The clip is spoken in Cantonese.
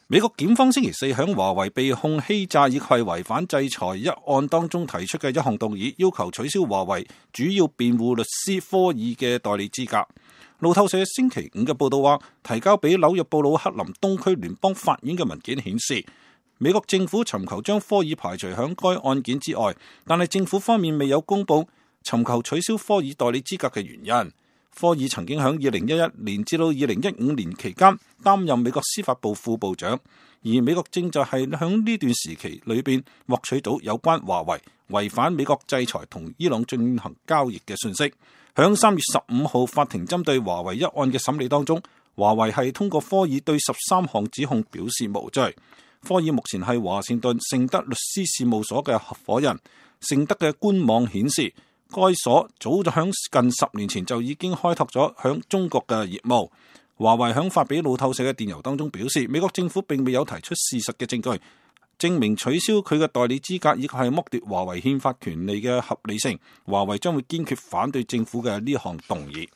美國檢方星期四響華為被控欺詐以及違反制裁一案當中提出嘅一項動議，要求取消華為主要辯護律師科爾嘅代理資格。路透社星期五嘅報道話，提交俾紐約布魯克林東區聯邦法院嘅文件顯示，美國政府尋求將科爾排除響該案件之外，但係政府方面未有公布尋求取消科爾代理資格嘅原因。科爾曾經喺2011年至到2015年期間擔任美國司法部副部長，而美國正就係喺呢段時期裏邊獲取到有關華為違反美國制裁同伊朗進行交易嘅信息。響3月15號法庭針對華為一案嘅審理當中，華為係通過科爾對13項指控表示無罪。科爾目前係華盛頓盛德律師事務所嘅合夥人。盛德嘅官網顯示，該所早就響近10年前就已經開拓咗響中國嘅業務。華為響發俾路透社嘅電郵當中表示，美國政府並未有提出事實嘅證據，證明取消佢嘅代理資格以及係剝奪華為憲法權利嘅合理性。華為將會堅決反對政府嘅呢項動議。